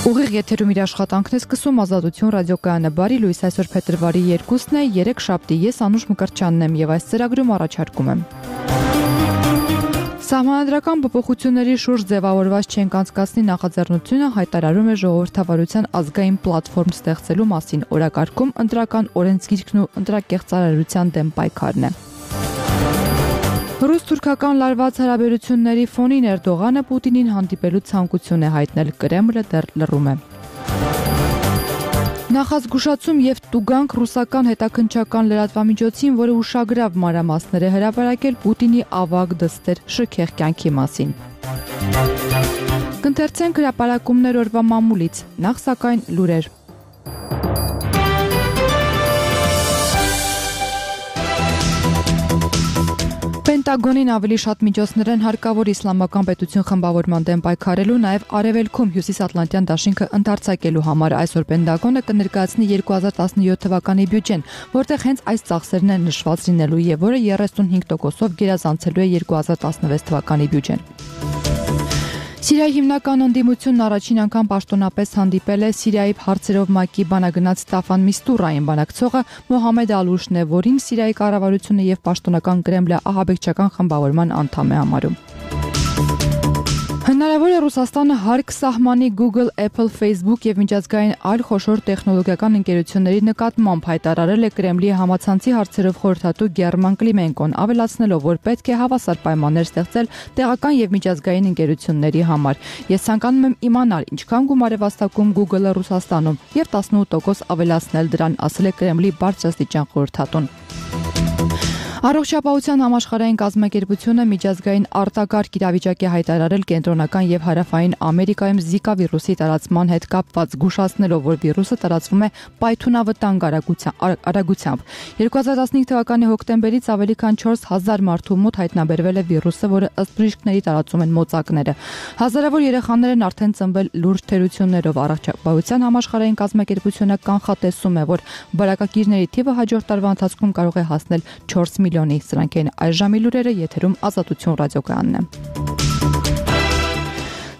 Ուղիղ եթերում իր աշխատանքն է սկսում Ազատություն ռադիոկայանը։ Բարի լույս, այսօր փետրվարի 2-ն է, 3 շաբթի։ Ես Անուշ Մկրտչյանն եմ եւ այս ծրագրում առաջարկում եմ. Սահմանադրական փոփոխությունների շուրջ ձևավորված չենք անցկացնի նախաձեռնությունը հայտարարում է ժողովրդավարության ազգային պլատֆորմ ստեղծելու մասին։ Օրակարգում ընտրական օրենսգիրքն ու ընտրակեղծարարության դեմ պայքարն է։ Ռուս-թուրքական լարված հարաբերությունների ֆոնին Էրդողանը Պուտինին հանդիպելու ցանկություն է հայտնել, Կրեմլը դեռ լռում է։ Նախազգուշացում եւ տուգանք ռուսական հետաքննչական լրատվամիջոցին, որը ուշագրավ մանրամասներ է հրապարակել Պուտինի ավագ դստեր շքեղ կյանքի մասին։ Կընթերցենք հրապարակումներ օրվա մամուլից, նախ սակայն լուրեր։ Պենտագոնին ավելի շատ միջոցներ են հարկավոր իսլամական պետություն խմբավորման դեմ պայքարելու, նաև արևելքում հյուսիսատլանտյան դաշինքը ընդարձակելու համար։ Այսօր Պենտագոնը կներկայացնի 2017 թվականի բյուջեն, որտեղ հենց այս ծախսերն են նշված լինելու եւ որը 35%-ով գերազանցելու է 2016 թվականի բյուջեն։ Սիրիայի հիմնական ընդդիմությունն առաջին անգամ պաշտոնապես հանդիպել է Սիրիայի հարցերով ՄԱԿ-ի բանագնաց Ստաֆան Միստուրային բանակցողը Մոհամեդ Ալուշն է, որին Սիրիայի կառավարությունը եւ պաշտոնական Կրեմլը ահաբեկչական խմբավորման անդամ է համարում։ Հնարավոր է Ռուսաստանը հարկ սահմանի Google, Apple, Facebook եւ միջազգային այլ խոշոր տեխնոլոգիական ընկերությունների նկատմամբ հայտարարել է Կրեմլի համացանցի հարցերով խորհրդատու Գերման Կլիմենկոն, ավելացնելով, որ պետք է հավասար պայմաններ ստեղծել տեղական եւ միջազգային ընկերությունների համար։ Ես ցանկանում եմ իմանալ, ինչքան գումար է վաստակում Google-ը Ռուսաստանում եւ 18% ավելացնել դրան, ասել է Կրեմլի բարձրաստիճան խորհրդատուն։ Առողջապահության համաշխարհային կազմակերպությունը միջազգային արտակարգ իրավիճակ է հայտարարել կենտրոնական եւ հարավային Ամերիկայում Զիկա վիրուսի տարածման հետ կապված, զգուշացնելով, որ վիրուսը տարածվում է պայթունավտանգ արագությամբ։ 2015 թվականի հոկտեմբերից ավելի քան 4000 մարդու մոտ հայտնաբերվել է վիրուսը, որը ըստ բժիշկների տարածում են մոծակները։ Հազարավոր երեխաներ են արդեն ծնվել լուրջ թերություններով։ Առողջապահության համաշխարհային կազմակերպությունը կանխատեսում է, որ բարակակիրների թիվը հաջորդ տարվա ընթացքում կարող է հասնել 4 միլիոնի։ Սրանք են այս ժամի լուրերը, եթերում Ազատություն ռադիոկայանն է։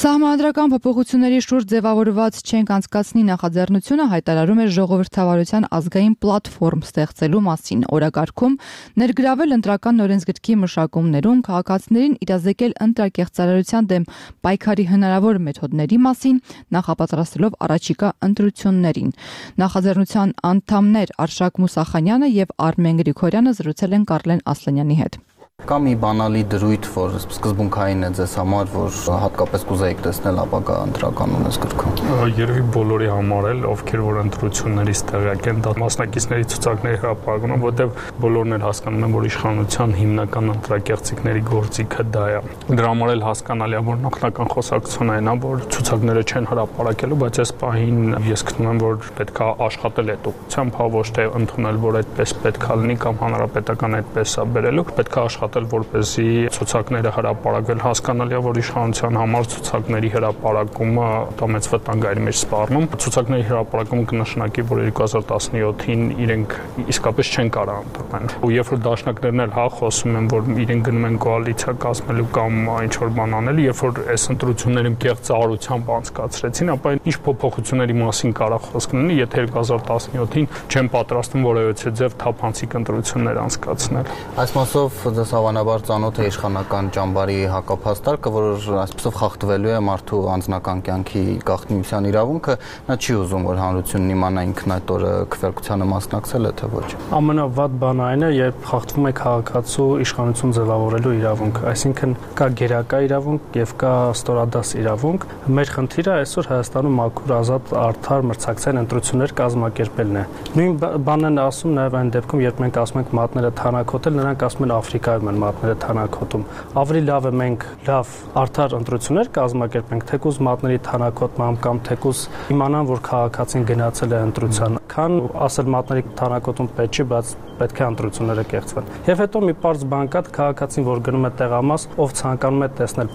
Սահմանադրական փոփոխությունների շուրջ ձևավորված չենք անցկացնի նախաձեռնությունը հայտարարում է ժողովրդավարության ազգային պլատֆորմ ստեղծելու մասին։ Օրակարգում ներգրավել ընտրական օրենսգրքի մշակումներում քաղաքացիներին իրազեկել ընտրակեղծարարության դեմ պայքարի հնարավոր մեթոդների մասին, նախապատրաստելով առաջիկա ընտրություններին։ Նախաձեռնության անդամներ Արշակ Մուսախանյանը եւ Արմեն Գրիգորյանը զրուցել են Կարլեն Ասլանյանի հետ։ Կա մի բանալի դրույթ, որ սկզբունքային է ձեզ համար, որ հատկապես կուզեիք տեսնել ապագա ընտրական օրենսգրքում։ Երևի բոլորի համար էլ, ովքեր որ ընտրություններից տեղյակ են, դա մասնակիցների ցուցակների հրապարակում, որտեղ բոլորն էլ հասկանում են, որ իշխանության հիմնական ընտրակեղծիքների գործիքը դա է։ Դրա համար էլ հասկանալի է, որ նախնական խոսակցությունն այն է, որ ցուցակները չեն հրապարակելու, բայց այս պահին ես գտնում եմ, որ պետք է աշխատել այդ ուղղությամբ, ոչ թե ընդունել, որ այդպես պետք է լինի կամ հանրապետական այդպես է բերելու, պետք է աշխատել, որպեսզի ցուցակները հրապարակվել, հասկանալի է, որ իշխանության համար ցուցակների հրապարակումը դա մեծ վտանգ է իր մեջ սպառնում։ Ցուցակների հրապարակումը կնշանակի, որ 2017-ին իրենք իսկապես չեն կարող ընտրեն։ Ու երբ որ դաշնակներն էլ խոսում են, որ իրենք գնում են կոալիցիա կազմելու կամ ինչ որ բան անելու, երբ որ այս ընտրությունները կեղծարարությամբ անցկացրեցին, ապա ինչ փոփոխությունների մասին կարող խոսք լինի, եթե 2017-ին չեն պատրաստվում որևէ ձև թափանցիկ ընտրություններ անցկացնել։ Այս մասով դες հավանաբար ծանոթ է իշխանական ճամբարի հակափաստարկը, որ այսպեսով խախտվելու է մարդու անձնական կյանքի գաղտնիության իրավունքը, նա չի ուզում, որ հանրությունն իմանա ինքն այդ օրը քվեարկությանը մասնակցել է, թե ոչ։ Ամենավատ բանը այն է, երբ խախտվում է քաղաքացու իշխանություն ձևավորելու իրավունքը, այսինքն կա գերակա իրավունք եւ կա ստորադաս իրավունք։ Մեր խնդիրը այսօր Հայաստանում մաքուր, ազատ, արդար մրցակցային ընտրություններ կազմակերպելն է։ Նույն բանն են ասում նաեւ այն դեպքում, երբ մենք ասում ենք մատները թանաքոտել, նրանք ասում են Աֆրիկայում են մատները թանաքոտում։ Ավելի լավ է մենք լավ արդար ընտրություններ կազմակերպենք, թեկուզ մատների թանաքոտմամբ կամ թեկուզ իմանան, որ քաղաքացին գնացել է ընտրության, քան ասել մատների թանաքոտում պետք չի, բայց պետք է ընտրությունները կեղծվեն։ Եվ հետո մի պարզ բան կա, քաղաքացին, որ գնում է տեղամաս, ով ցանկանում է տեսնել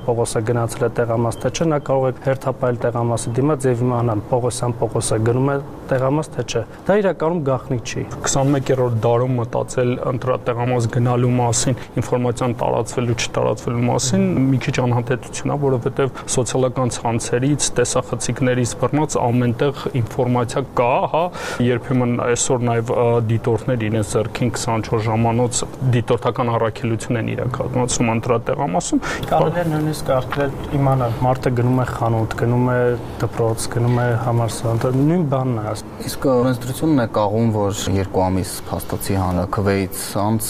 Պողոսը գնացել է տեղամաս, թե չէ, նա կարող է հերթապայել տեղամասի դիմաց եւ իմանալ Պողոսը գնում է տեղամաս, թե չէ։ Դա իրականում գաղտնիք չի։ 21-րդ դարում մտածել ընտրատեղամաս գնալու մասին, ինֆորմացիան տարածվելու չտարածվելու մասին մի քիչ անհանդետություն է, որովհետեւ սոցիալական ցանցերից, տեսախցիկներից բռնած ամենտեղ ինֆորմացիա կա, հա, երբեմն այսօր նաեւ դիտորդներ իրենց ձեռքին 24 ժամանոց դիտորդական առաքելություն են իրականացնում ընտրատեղամասում։ Կարելի է նույնիսկ արկել իմանալ, մարդը գնում է խանութ, գնում է դպրոց, գնում է համալսարան, նույն բանն է։ Իսկ օրենսդրությունն է կաղում, որ 2 ամիս փաստացի հանրաքվեից անց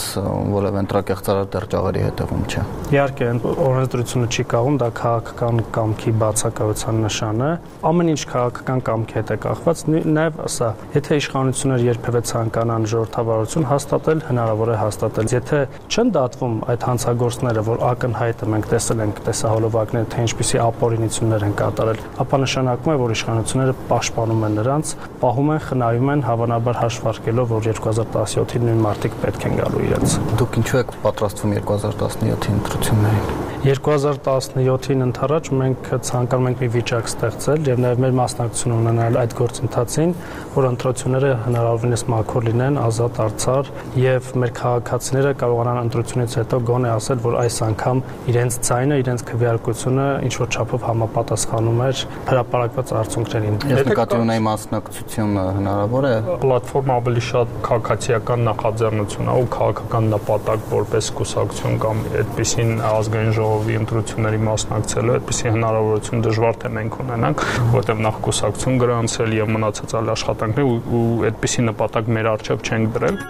որևէ ընտրակեղծարար դեռ ճաղերի հետևում չէ։ Իհարկե, օրենսդրությունը չի կաղում, դա քաղաքական կամքի բացակայության նշան է։ Ամեն ինչ քաղաքական կամքի հետ է կախված, նաև սա, եթե իշխանությունները երբևէ ցանկանան ժողովրդավարություն հաստատել, հնարավոր է հաստատել։ Եթե չեն դատվում այդ հանցագործները, որ ակնհայտ է, մենք տեսել ենք տեսահոլովակները, թե ինչպիսի ապօրինություններ են կատարել, ապա նշանակում է, որ իշխանությունները պաշտպանում են նրանց, պահում են, խնայում են, հավանաբար հաշվարկելով, որ 2017-ին նույն մարդիկ պետք են գալու իրենց։ Դուք ինչու եք պատրաստվում 2017-ի ընտրություններին։ 2017-ին ընթരാճ մենք ցանկանում ենք մի վիճակ ստեղծել եւ նաեւ մեր մասնակցություն ունենալ այդ գործընթացին, որ ընտրությունները հնարավորինս մաքուր լինեն, ազատ, արդար եւ մեր քաղաքացիները կարողանան ընտրությունից հետո գոնե ասել, որ այս անգամ իրենց ձայնը, իրենց քվեարկությունը ինչ որ չափով համապատասխանում էր հրապարակված արդյունքներին։ Ես նկատի ունեի մասնակցությունը հնարավոր է։ Պլատֆորմը ավելի շատ քաղաքացիական նախաձեռնություն է ու քաղաքական նպատակ որպես կուսակցություն կամ այդպիսին ազգային ժողովի ընտրությունների մասնակցելու այդպիսի հնարավորություն դժվար թե մենք ունենանք, որտեղ նախ կուսակցություն գրանցել եւ մնացած այլ աշխատանքներ ու այդպիսի նպատակ մեր առջև չենք դրել։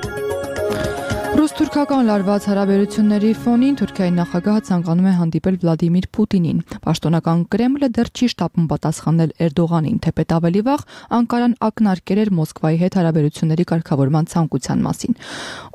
Ռուս-թուրքական լարված հարաբերությունների ֆոնին Թուրքիայի նախագահը ցանկանում է հանդիպել Վլադիմիր Պուտինին։ Պաշտոնական Կրեմլը դեռ չի շտապում պատասխանել Էրդողանին, թեպետ ավելի վաղ Անկարան ակնարկել էր Մոսկվայի հետ հարաբերությունների կարգավորման ցանկության մասին։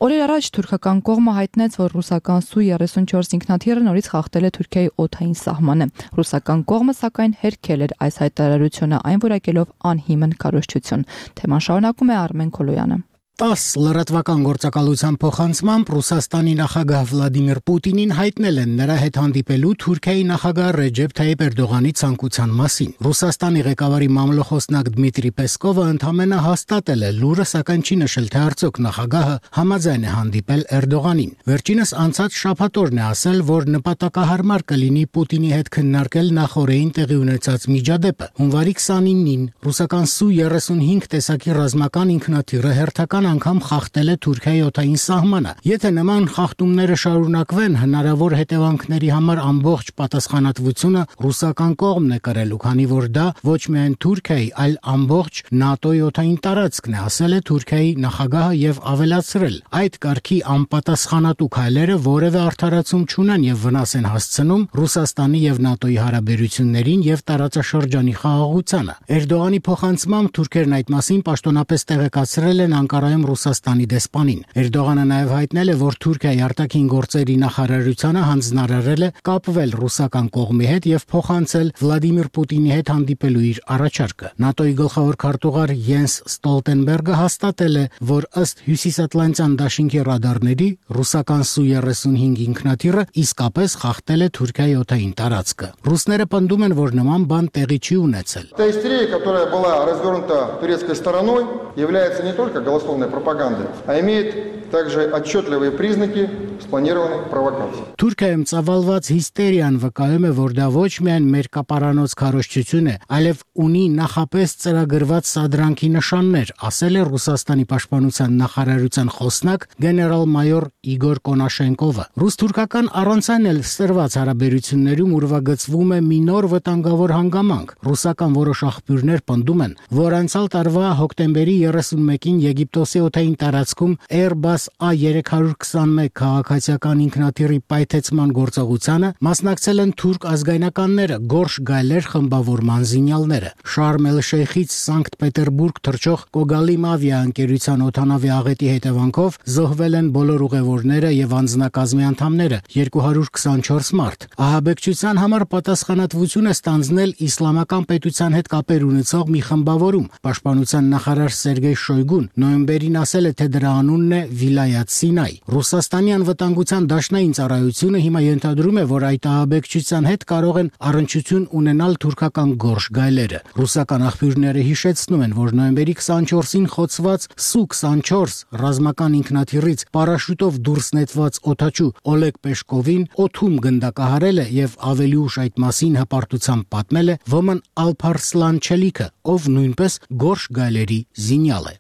Օրեր առաջ թուրքական կողմը հայտնեց, որ ռուսական Su-34 ինքնաթիռը նորից խախտել է Թուրքիայի օդային սահմանը։ Ռուսական կողմը սակայն հերքել էր այս հայտարարությունը, այն որակելով անհիմն քարոզչություն։ Թեման շարունակում է Արմեն Քոլոյանը։ 10 լրատվական գործակալության փոխանցմամբ Ռուսաստանի նախագահ Վլադիմիր Պուտինին հայտնել են նրա հետ հանդիպելու Թուրքիայի նախագահ Ռեջեփ Թայիփ Էրդողանի ցանկության մասին։ Ռուսաստանի ղեկավարի մամլոխոսնակ Դմիտրի Պեսկովը ընդամենը հաստատել է լուրը, սակայն չի նշել, թե արդյոք նախագահը համաձայն է հանդիպել Էրդողանին։ Վերջինս անցած շաբաթօրն է ասել, որ նպատակահարմար կլինի Պուտինի հետ քննարկել նախորդին տեղի ունեցած միջադեպը։ Հունվարի 29-ին ռուսական Su-35 տեսակի ռազմական ինքնաթիռը հերթական անգամ խախտել է Թուրքիայի օդային սահմանը։ Եթե նման խախտումները շարունակվեն, հնարավոր հետևանքների համար ամբողջ պատասխանատվությունը ռուսական կողմն է կրելու, քանի որ դա ոչ միայն Թուրքիայի, այլ ամբողջ ՆԱՏՕ-ի օդային տարածքն է, ասել է Թուրքիայի նախագահը եւ ավելացրել. այդ կարգի անպատասխանատու քայլերը որևէ արդարացում չունեն եւ վնաս են հասցնում Ռուսաստանի եւ ՆԱՏՕ-ի հարաբերություններին եւ տարածաշրջանի խաղաղությանը։ Էրդողանի փոխանցմամբ թուրքերն այդ մասին պաշտոնապես տեղեկացրել են Անկարայում Ռուսաստանի դեսպանին։ Էրդողանը նաև հայտնել է, որ Թուրքիայի արտաքին գործերի նախարարությանը հանձնարարել է կապվել ռուսական կողմի հետ եւ փոխանցել Վլադիմիր Պուտինի հետ հանդիպելու իր առաջարկը։ ՆԱՏՕ-ի գլխավոր քարտուղար Յենս Ստոլտենբերգը հաստատել է, որ ըստ Հյուսիսատլանտյան դաշինքի ռադարների ռուսական Su-35 ինքնաթիռը իսկապես խախտել է Թուրքիայի օդային տարածքը։ Ռուսները պնդում են, որ նման բան տեղի չի ունեցել։ Та истерия, которая была развернута турецкой стороной, является не только голословной пропагандой, а имеет также отчетливые признаки спланированной провокации. Թուրքիայում ծավալված հիստերիան վկայում է, որ դա ոչ միայն մեր կապարանոց քարոզչություն է, այլև ունի նախապես ծրագրված սադրանքի նշաններ, ասել է Ռուսաստանի պաշտպանության նախարարության խոսնակ գեներալ-մայոր Իգոր Կոնաշենկովը։ Ռուս-թուրքական առանցան էլ սրված հարաբերություններում ուրվագծվում է մի նոր վտանգավոր հանգամանք։ Ռուսական որոշ աղբյուրներ պնդում են, որ անցյալ տարվա հոկտեմբերի 31-ին Եգիպտոսի օդային տարածքում Airbus A321 քաղաքացիական ինքնաթիռի պայթեցման գործողությանը մասնակցել են թուրք ազգայնականները, Գորշ Գայլեր խմբավորման զինյալները։ Շարմ էլ-Շեյխից Սանկտ Պետերբուրգ թռչող Կոգալիմ ավիաընկերության օդանավի աղետի հետևանքով զոհվել են բոլոր ուղևորները եւ անձնակազմի անդամները, 224 մարդ։ Ահաբեկչության համար պատասխանատվություն է ստանձնել իսլամական պետության հետ կապեր ունեցող մի խմբավորում։ Պաշտպանության նախարար Սերգեյ Շոյգուն նոյեմբերի թերթերին ասել է, թե դրա անունն է Վիլայաթ Սինայ։ Ռուսաստանի անվտանգության դաշնային ծառայությունը հիմա ենթադրում է, որ այդ ահաբեկչության հետ կարող են առնչություն ունենալ թուրքական գորշ գայլերը։ Ռուսական աղբյուրները հիշեցնում են, որ նոյեմբերի 24-ին խոցված Սու-24 ռազմական ինքնաթիռից պարաշուտով դուրս նետված օդաչու Օլեգ Պեշկովին օդում գնդակահարել է եւ ավելի ուշ այդ մասին հպարտությամբ պատմել է Ոման Ալփարսլան Չելիքը, ով նույնպես գորշ գայլերի զինյալ է։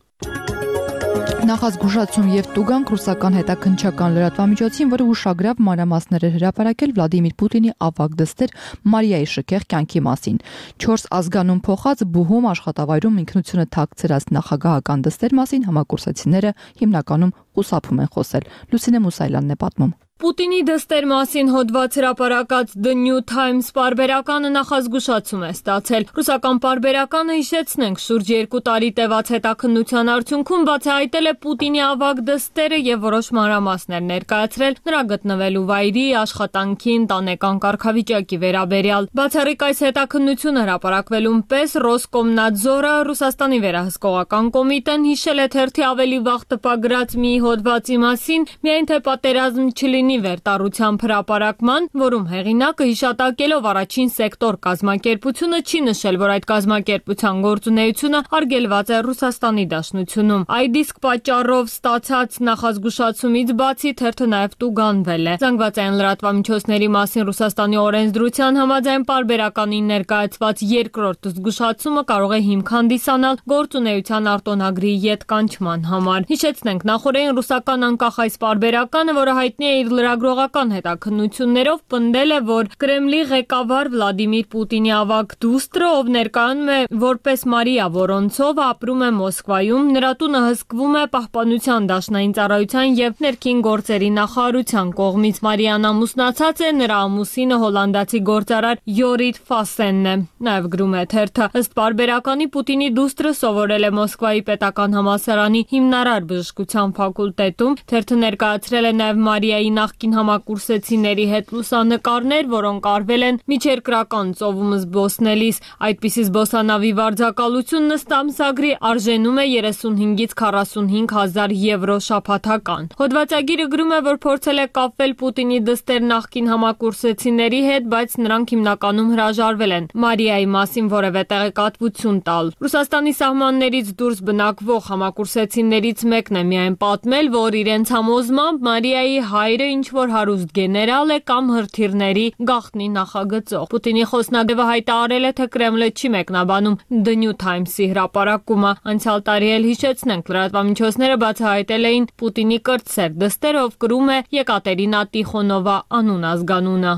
Նախազգուշացում եւ տուգանք ռուսական հետաքննչական լրատվամիջոցին, որը ուշագրավ մանրամասներ էր հրապարակել Վլադիմիր Պուտինի ավագ դստեր Մարիայի շքեղ կյանքի մասին։ 4 ազգանուն փոխած բուհում աշխատավայրում ինքնությունը թաքցրած նախագահական դստեր մասին համակուրսացիները հիմնականում խուսափում են խոսել։ Լուսինե Մուսայլյանն է պատմում։ Պուտինի դստեր մասին հոդված հրապարակած The New Times պարբերականը նախազգուշացում է ստացել։ Ռուսական պարբերականը, հիշեցնենք, շուրջ 2 տարի տևած հետաքննության արդյունքում բացահայտել է Պուտինի ավագ դստերը եւ որոշ մանրամասներ ներկայացրել նրա գտնվելու վայրի, աշխատանքի, ընտանեկան կարգավիճակի վերաբերյալ։ Բացառիկ այս հետաքննությունը հրապարակվելուն պես Ռոսկոմնադզորը, Ռուսաստանի վերահսկողական կոմիտեն, հիշել է թերթի ավելի վաղ տպագրած մի հոդվածի մասին, միայն թե պատերազմ չլինի վերտառությամբ հրապարակման, որում հեղինակը հիշատակելով առաջին սեկտոր կազմակերպությունը չի նշել, որ այդ կազմակերպության գործունեությունը արգելված է Ռուսաստանի Դաշնությունում։ Այդ իսկ պատճառով ստացած նախազգուշացումից բացի թերթը նաև տուգանվել է։ Զանգվածային լրատվամիջոցների մասին Ռուսաստանի օրենսդրության համաձայն պարբերականին ներկայացված երկրորդ զգուշացումը կարող է հիմք հանդիսանալ գործունեության արտոնագրի ետկանչման համար։ Հիշեցնենք, նախորդին ռուսական անկախ այս պարբերականը, որը հայտնի է իր լրագրողական հետաքննություններով, պնդել է, որ Կրեմլի ղեկավար Վլադիմիր Պուտինի ավագ դուստրը, ով ներկայանում է որպես Մարիա Վորոնցովը, ապրում է Մոսկվայում, նրա տունը հսկվում է Պահպանության դաշնային ծառայության եւ ներքին գործերի նախարարության կողմից։ Մարիան ամուսնացած է, նրա ամուսինը հոլանդացի գործարար Յորիթ Ֆասենն է։ Նաեւ գրում է թերթը, ըստ պարբերականի Պուտինի դուստրը սովորել է Մոսկվայի պետական համալսարանի հիմնարար բժշկության ֆակուլտետում։ Թերթը ներկայացրել է նաեւ Մարիայի նախկին համակուրսեցիների հետ լուսանկարներ, որոնք արվել են միջերկրական ծովում զբոսնելիս։ Այդպիսի զբոսանավի վարձակալությունն ըստ ամսագրի արժենում է 35-ից 45 հազար եվրո շաբաթական։ Հոդվածագիրը գրում է, որ փորձել է կապվել Պուտինի դստեր նախկին համակուրսեցիների հետ, բայց նրանք հիմնականում հրաժարվել են Մարիայի մասին որևէ տեղեկատվություն տալ։ Ռուսաստանի սահմաններից դուրս բնակվող համակուրսեցիներից մեկն է միայն պատմել, որ իրենց համոզմամբ Մարիայի հայրը ինչ-որ հարուստ գեներալ է կամ հրթիռների գաղտնի նախագծող։ Պուտինի խոսնագետը հայտարարել է, թե Կրեմլը չի մեկնաբանում The New Times-ի հրապարակումը։ Անցյալ տարի էլ հիշեցնենք, լրատվամիջոցները բացահայտել էին Պուտինի կրտսեր դստեր, ով կրում է Եկատերինա Տիխոնովա անուն ազգանունը։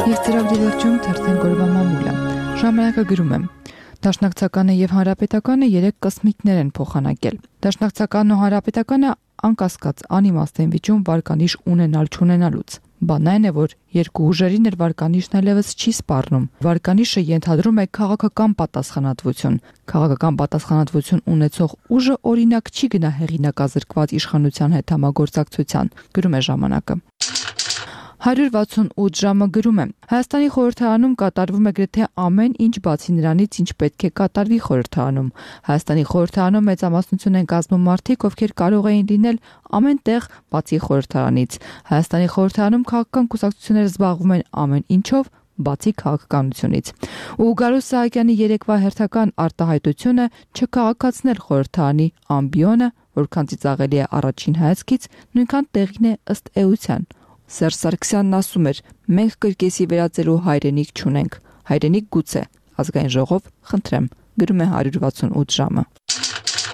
Եվ ծրագրի վերջում թերթեն գորվա մամուլը։ Ժամանակը գրում է. Դաշնակցականը եւ հանրապետականը 3 կսմիկներ են փոխանակել։ Դաշնակցականն ու հանրապետականը անկասկած անիմաստ են վիճում վարկանիշ ունենալ չունենալուց։ Բանն այն է, որ երկու ուժերին էր վարկանիշն այլևս չի սպառնում։ Վարկանիշը ենթադրում է քաղաքական պատասխանատվություն։ Քաղաքական պատասխանատվություն ունեցող ուժը օրինակ չի գնա հեղինակազրկված իշխանության հետ համագործակցության, գրում է ժամանակը։ 168 ժամը գրում է. Հայաստանի խորհրդարանում կատարվում է գրեթե ամեն ինչ բացի նրանից, ինչ պետք է կատարվի խորհրդարանում։ Հայաստանի խորհրդարանում մեծամասնություն են կազմում մարդիկ, ովքեր կարող էին լինել ամեն տեղ բացի խորհրդարանից։ Հայաստանի խորհրդարանում քաղաքական կուսակցությունները զբաղվում են ամեն ինչով բացի քաղաքականությունից։ Ու Գարուս Սահակյանի երեկվա հերթական արտահայտությունը չքաղաքացնել խորհրդարանի ամբիոնը, որքան ծիծաղելի է առաջին հայացքից, նույնքան տեղին է ըստ էության։ Սերժ Սարգսյանն ասում էր. մենք կրկեսի վերածելու հայրենիք չունենք, հայրենիք գուցե, ազգային ժողով խնդրեմ, գրում է 168 ժամը։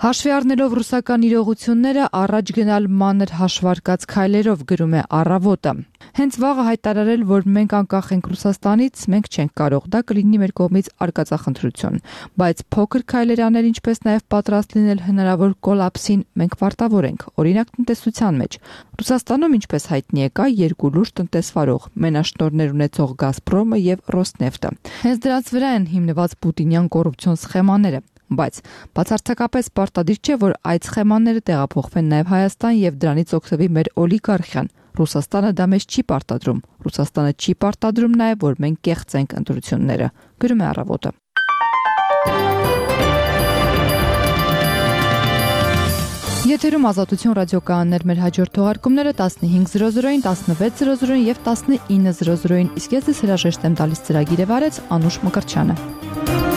Հաշվի առնելով ռուսական իրողությունները, առաջ գնալ մանր հաշվարկած քայլերով, գրում է Առավոտը։ Հենց վաղը հայտարարել, որ մենք անկախ ենք Ռուսաստանից, մենք չենք կարող, դա կլինի մեր կողմից արկածախնդրություն, բայց փոքր քայլեր անել, ինչպես նաև պատրաստ լինել հնարավոր կոլապսին, մենք պարտավոր ենք, օրինակ տնտեսության մեջ։ Ռուսաստանում, ինչպես հայտնի է, կա երկու լուրջ տնտեսվարող՝ մենաշնորհներ ունեցող Գազպրոմը եւ Ռոսնեֆտը։ Հենց դրանց վրա են հիմնված պուտինյան կոռուպցիոն սխեմաները։ Բայց բացարձակապես պարտադիր չէ, որ այդ սխեմաները տեղափոխվեն նաև Հայաստան եւ դրանից օգտվի մեր օլիգարխիան։ Ռուսաստանը դա մեզ չի պարտադրում։ Ռուսաստանը չի պարտադրում նաև, որ մենք կեղծենք ընտրությունները, գրում է Առավոտը։ Եթերում Ազատություն ռադիոկայաններ, մեր հաջորդ թողարկումները 15:00-ին, 16:00-ին եւ 19:00-ին։ Իսկ ես հրաժեշտ եմ տալիս ծրագիրը վարեց Անուշ Մկրտչյանը։